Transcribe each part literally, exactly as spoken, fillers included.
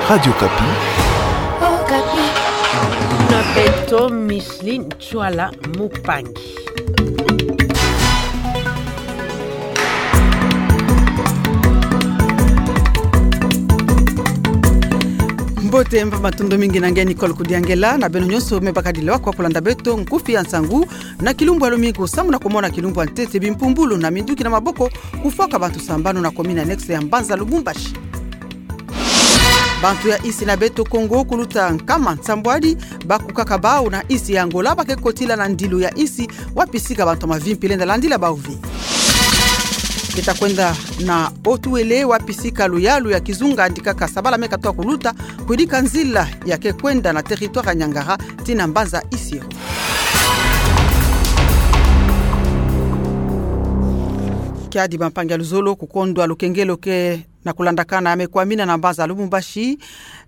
Radio Okapi. Okapi. Na beto Micheline Tshuala Mupangi. Mbote, mba matondo mingi na nge Nicole Kudiangela, na beno nyonso me bakadila kwa kulanda beto nkufi ya nsangu. Na kilumbu ya lumingu, sambu na kumona kilumbu ya ntete, bimpumbulu na minduki na maboko kufwaka bantu sambanu na commune annexe ya mbanza Lubumbashi. Bantu ya insi na beto Congo kuluta nkama nsambwadi bakukaka bau na insi ya Angola ba ke kotila na ndilu ya insi wapi sika bantu mavimpi lenda landila bau vi. Ke ta kwenda na Haut-Uélé wapi sika luyalu ya kizunga yandikaka sabala me katoa kuluta, kuyidika nzila ya ke kwenda na territoire ya Niangara tii na mbanza Isiro. Kiadi bampangi ya luzolo, kukondwa lukengelo ke na kulandakana ya me kwamina na mbanza Lubumbashi,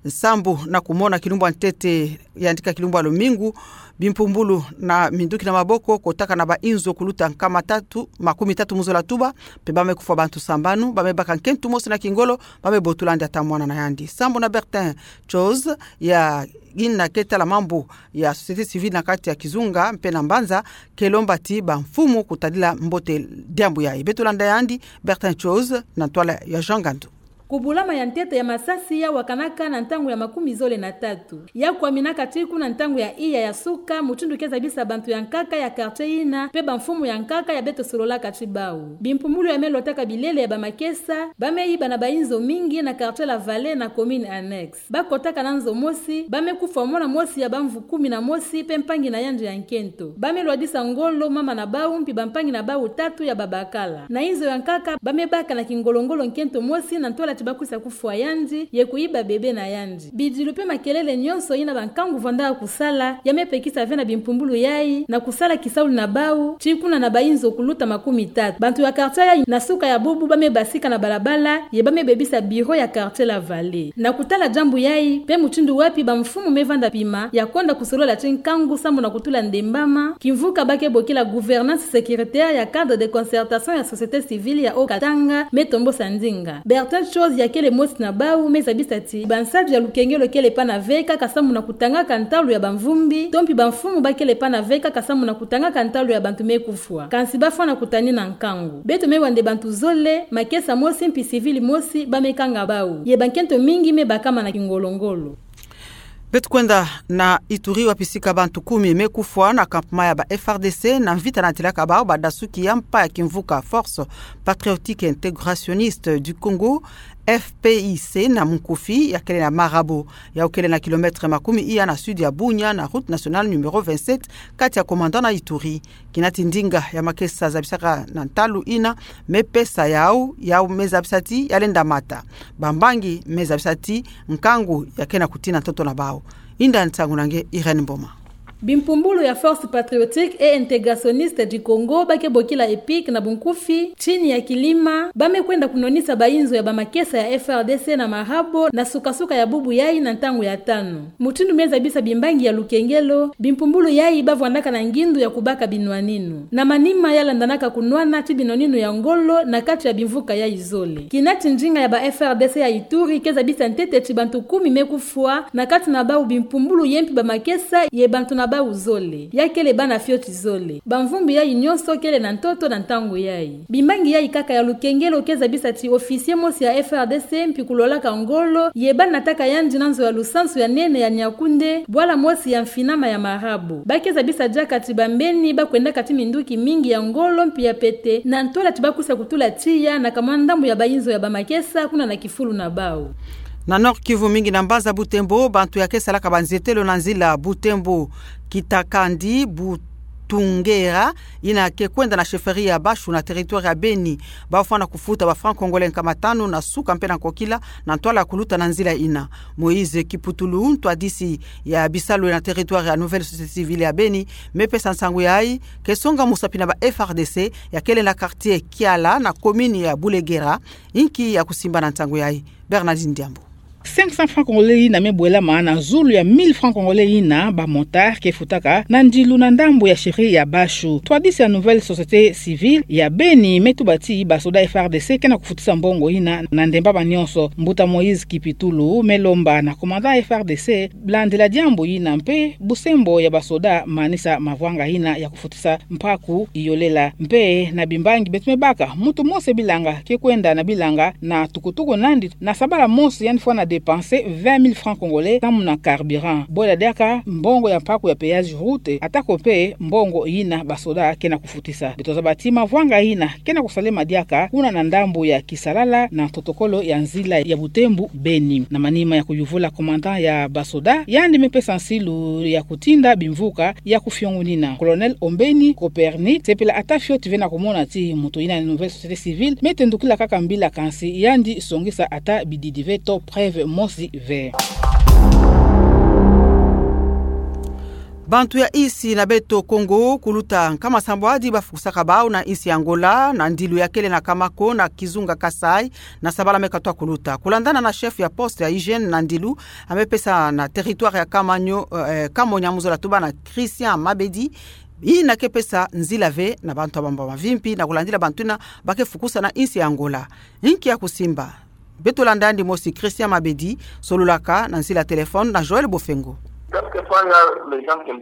sambu na kumona kilumbu ya ntete yandika kilumbu ya lumingu, bimpumbulu na minduki na maboko kotaka na bainzo kuluta nkama tatu, makumi tatu mu zola tuba, mpe ba me kufwa bantu sambanu, ba me baka nkento mosi na kingolo, ba me botula yandi ata mwana na yandi. Sambu na Bertin Chose, ya ina ke tala mambu ya société civile na kati ya kizunga mpe na mbanza, ke lomba ti bamfumu kutadila mbote diambu yayi. Beto landa yandi, Bertin Chose, na ntwala ya Jean Gandu. Kubulama ya ntete ya masasi ya wakanaka na ntangu ya makumi zole na tatu. Ya kwaminaka tii kuna ntangu ya iya ya suka, mutindu ke zabisa bantu ya nkaka ya quartier yina, mpe bamfumu ya nkaka ya beto sololaka tii bau. Bimpumbulu ya me lotaka bilele ya bamakesa, ba me yiba na bainzo mingi na quartier La Vallée na commune annexe. Ba kotaka na nzo mosi, ba me kufwa mwana mosi ya bamvu kumi na mosi, mpe mpangi na yandi ya nkento. Ba me lwadisa ngolo mama na bau, mpi bampangi na bau tatu ya babakala. Na inzo ya nkaka, ba me baka na kingolo-ngolo nkento mosi na ntwala ti ba kwisa kufwa yandi, ye kuyiba bébé na yandi. Bidilu mpe makelele nyonso yina bankangu vandaka kusala, ya me pekisa ve na bimpumbulu yayi, na kusala kisalu na bau, tii kuna na bainzo kuluta makumi tatu. Bantu ya quartier yayi, na suka ya bubu ba me basika na balabala, ye ba me bebisa bureau ya quartier La Vallée. Na kutala diambu yayi, mpe mutindu wapi bamfumu me vanda pima, ya kwenda kusolola tii nkangu sambu na kutula ndembama, kimvuka ba ke bokila gouvernance sécuritaire ya cadre de concertation ya société civile ya Haut-Katanga, me tombosa ndinga. Bertin Chose ya kele mosi na bau me zabisa ti, bansadi ya lukengelo kele pana ve kaka sambu na kutangaka ntalu ya bamvumbi, to mpi bamfumu ba kele pana ve kaka sambu na kutangaka ntalu ya bantu me kufwa. Kansi ba fwana kutani na nkangu. Beto me wa nde bantu zole, makesa mosi mpi civil mosi, ba me kanga bau. Ye bankento mingi me bakama na kingolo-ngolo. Beto kwenda na Ituri wapi sika bantu kumi me kufwa na campement ya ba F R D C na mvita natilaka bau badasuki ya mpa ya kimvuka Force Patriotique Intégrationniste du Congo, F P I C na munkufi, ya kele na Marabo, yau kele na kilomètre makumi iya na sud ya Bunia na route nationale numéro vingt-sept, kati ya Komanda na Ituri. Kina ti ndinga ya makesa zabisaka na ntalu ina, me pesa yau, yau me zabisa ti ya lenda mata. Bambangi me zabisa ti nkangu ya kena kutina ntoto na bau. Inda nsangu na nge Irène Mboma. Bimpumbulu ya Force Patriotique et Intégrationniste du Congo, ba ke bokila EPIC na bunkufi, tini ya kilima, ba me kwenda kunwanisa bainzo ya bamakesa ya F R D C na Marabo, na suka-suka ya bubu yayi na ntangu ya tanu. Mutindu me zabisa bimbangi ya lukengelo, bimpumbulu yayi ba vwandaka na ngindu ya kubaka binwaninu. Na manima ya landanaka kunwana ti binwaninu ya ngolo na kati ya bimvuka yayi zole. Kina ti ndinga ya ba F R D C ya Ituri ke zabisa ntete ti bantu kumi me kufwa, na kati na bau bimpumbulu ye mpi bamakesa ye bantu na bau zole. Ya kele bana fioti zole. Bamvumbi yayi nyonso kele na ntoto na ntangu yayi. Bimbangi yayi kaka ya lukengelo ke zabisa ti officier mosi ya F R D C mpi kulolaka ngolo, ye ba nataka yandi na nzo ya lusansu ya nene ya Niakoundé, bwala mosi ya mfinama ya Marabo. Ba ke zabisa diaka ti bambeni ba kwendaka ti minduki mingi ya ngolo mpi ya pete, na ntwala ti ba kwisa kutula tiya na kamwa ndambu ya bainzo ya bamakesa kuna na kifulu na bau. Na Nord-Kivu, mingi na mbanza Butembo, bantu ya ke salaka banzetelo na nzila Butembo Kitakandi, Butungera, ina ke kwenda na chefferie ya Bashu na territoire ya Beni, ba fwana kufuta ba francs congolais nkama tanu na suka mpe na nkokila, na ntwala kuluta na nzila ina. Moïse Kiputulu, ntwadisi ya bisalu na territoire ya Nouvelle Société Civile ya Beni, me pesa nsangu yayi, ke songa musapi na ba F R D C ya kele na quartier Kiala na commune ya Bulegera, inki ya kusimba na nsangu yayi. Bernardine Diambu. Cinq cents francs congolais yina me bwelama na zulu ya mille francs congolais yina ba motards ke futaka na ndilu na ndambu ya chefferie ya Bashu. Twadisi ya Nouvelle Société Civile ya Beni me tuba ti ba soda F R D C ke na kufutisa mbongo yina na ndemba ba nyonso. Mbuta Moïse Kipitulu me lomba na commandant F R D C landila diambu yina mpe busembo ya ba soda manisa mavwanga yina ya kufutisa mpaku iolela. Mpe na bimbangi beto me baka, muntu mosi bilanga ke kwenda na bilanga na tukutuku nandi na sabala mosi, yandi fwana dépenser vingt mille francs congolais samu na carburant, bwela diaka mbongo ya mpaku ya péage route, atako mpe mbongo yina ba soda ke na kufutisa. Beto zaba ti mavwanga yina ke na kusalema diaka kuna na ndambu ya Kisalala na protocole ya nzila ya Butembo Beni. Na manima ya kuyuvula commandant ya ba soda, yandi me pesa nsilu ya kutinda bimvuka ya kufiongonina. Colonel Ombeni Copernic sepela ata fioti ve na kumona ti muntu yina Nouvelle Société Civile me tendukila kaka mbila, kansi yandi songisa ata bididi ve to preuve mosi ve. Bantu ya insi na beto Kongo kuluta nkama sambwadi bafukusaka bau na insi Angola na ndilu ya kele na Kamako na kizunga Kasaï na sabala me katwa kuluta. Kulandana na chef ya poste ya hygiène na ndilu, ame pesa na territoire ya Kamanyo, eh, Kamonya, mu zola tuba na Christian Mabedi, yina ke pesa nzila ve na bantu ya bambo mavimpi na kulandila bantu yina ba ke fukusa na insi Angola. Nki ya kusimba? Beto landa yandi mosi Christian Mabedi, sololaka na nzila téléphone na Joël Bofengo.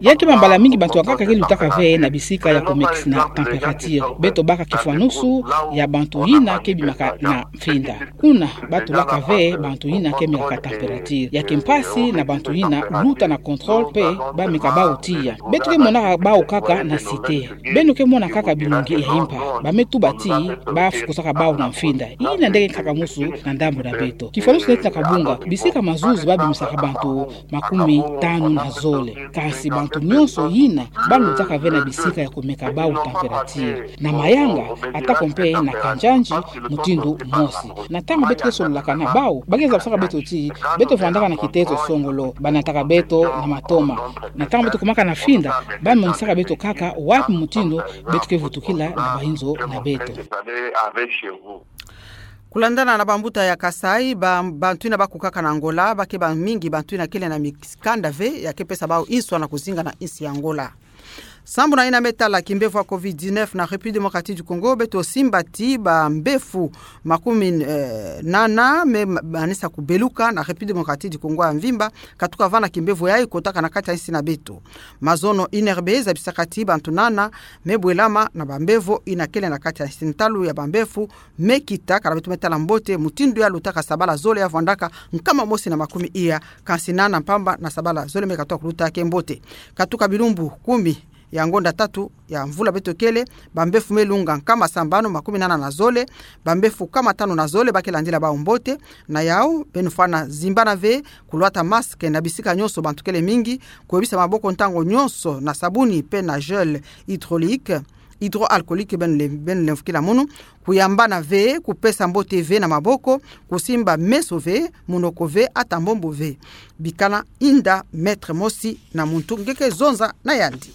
Ya ke bambala mingi bantu ya nkaka ke lutaka ve na bisika ya kumekisa na température. Beto baka kifwanusu ya bantu yina ke bimaka na mfinda. Kuna ba tulaka ve bantu yina ke mekaka température. Ya ke mpasi na bantu yina luta na contrôle mpe ba meka bau tiya. Beto ke monaka bau kaka na cité. Beno ke mona kaka binungi ya impa. Ba me tuba ti ba fukusaka bau na mfinda. Yina nde ke nkaka musu na ndambu na beto. Kifwanusu neti na kabunga, bisika mazuzu ba bimisaka bantu makumi tanu na zole. Kansi bantu nyonso yina ba lutaka ve na bisika ya kumeka bau température na mayanga, atako mpe na kanjanji mutindu mosi. Na ntangu beto ke sololaka na bau, ba ke zabasaka beto ti beto vandaka na kitezo songolo, ba nataka beto na matoma. Na ntangu beto kumaka na mfinda, ba monisaka beto kaka wapi mutindu beto ke vutukila na bayinzo na beto. Kulandana na bambuta ya Kasaï, ba, bantu yina ba kukaka na Angola ba ke bamingi bantu yina kele na mikanda ve ya ke pesa bau nswa na kuzinga na insi ya Angola. Sambu na yina me tala kimbevo ya covid dix-neuf na République Démocratique du Congo, beto simba ti bambefu makumi, eh, nana me ma-, manisa kubeluka na République Démocratique du Congo ya mvimba, katuka vana kimbevo yayi kotaka na kati ya insi na beto. Mazono I N R B zabisaka ti bantu nana me bwelama na bambevo yina kele na kati ya insi. Ntalu ya bambefu me kita, kala beto me tala mbote mutindu ya lutaka sabala zole ya vwandaka nkama mosi na makumi iya, kansi nana mpamba na sabala zole me katwa kuluta ke mbote. Katuka bilumbu kumi ya ngonda tatu ya mvula beto kele, bambefu me lunga nkama sambanu makumi nana na zole, bambefu nkama tanu na zole ba ke landila bau mbote. Na yau, beno fwana zimbana ve, kulwata masque na bisika nyonso bantu kele mingi, kuyebisa maboko ntangu nyonso na sabuni mpe na gel hydraulique, hydroalcoolique, beno le-, beno lemvokila munu, kuyambana ve, kupesa mbote ve na maboko, kusimba meso ve, munoko ve, ata mbombo ve. Bikana inda mètre mosi na muntu nge ke zonza na yandi.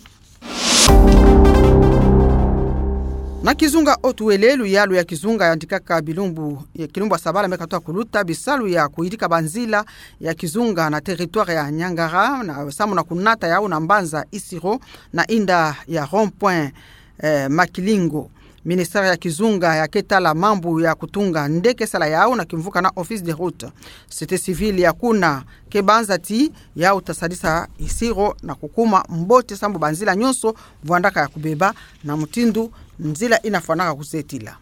Na kizunga Haut-Uélé, luyalu ya kizunga yandikaka bilumbu, ya kilumbu ya sabala me katwa kuluta, bisalu ya kuyidika banzila ya kizunga na territoire ya Niangara, na samu na kunata yau na mbanza Isiro, na inda ya rond-point, eh, Makilingo. Ministère ya kizunga ya ke tala mambu ya kutunga nde ke sala yau na kimvuka na Office des Routes. Société civile ya kuna ke banza ti yau ta sadisa Isiro na kukuma mbote sambu banzila nyonso vwandaka ya kubeba na mutindu nzila yina fwanaka kuzetila.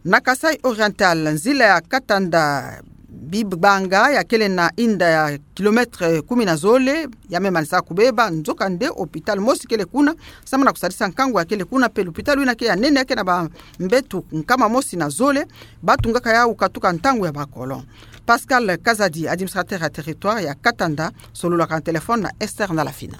Na Kasaï Oriental, nzila ya Katanda Bibanga ya kele na inda ya kilomètre kumi na zole, ya me manisa kubeba, nzoka nde hôpital mosi kele kuna, samu na kusadisa nkangu ya kele kuna, mpe lupitalu yina ke ya nene ya ke na bambetu nkama mosi na zole, ba tungaka yau katuka ntangu ya ba colon. Pascal Kazadi, administrateur ya territoire ya Katanda, sololaka na téléphone na Esther Ndalafina.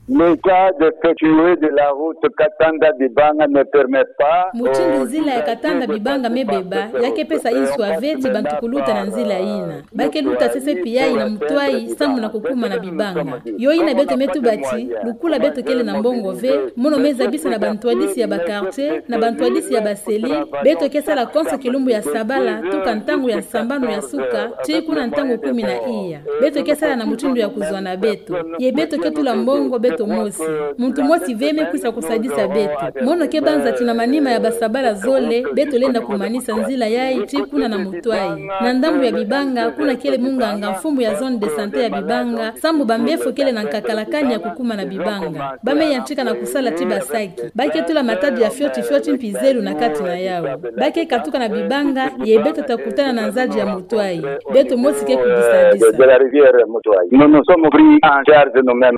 L'état défectueux de la route Katanda-Bibanga ne permet pas. Mutindu nzila ya Katanda-Bibanga me beba, ya ke pesa inswa ve ti bantu kuluta na nzila yina. Ba ke luta sesepi yayi na mutwai, samu na kukuma na Bibanga. Yo yina beto me tuba ti, lukula beto kele na mbongo ve, mono me zabisa na bantwadisi ya ba quartier, na bantwadisi ya ba cellule, beto ke sala konso kilumbu ya sabala, tuka ntangu ya sambanu ya suka, tii kuna ntangu kumi na iya. Beto ke sala na mutindu ya kuzwana beto. Ye beto ke tula mbongo beto mosi. Muntu mosi ve me kwisa kusadisa beto. Mono ke banza ti na manima ya ba sabala zole, beto lenda kumanisa nzila yayi tii kuna na mutwai. Na ndambu ya Bibanga, kuna kele munganga mfumu ya zone de santé ya Bibanga, samu ba mbefo kele na nkakala kani ya kukuma na Bibanga. Ba me yantika na kusala ti basaki. Ba ke tula matadi ya fioti fioti mpi zelu na kati na yawu. Ba ke katuka na Bibanga, ye beto ta kutana na nzadi ya mutwai. Beto mosi ke kudisadisa. De la rivière Mutwai. Nous nous sommes pris en charge nous-mêmes.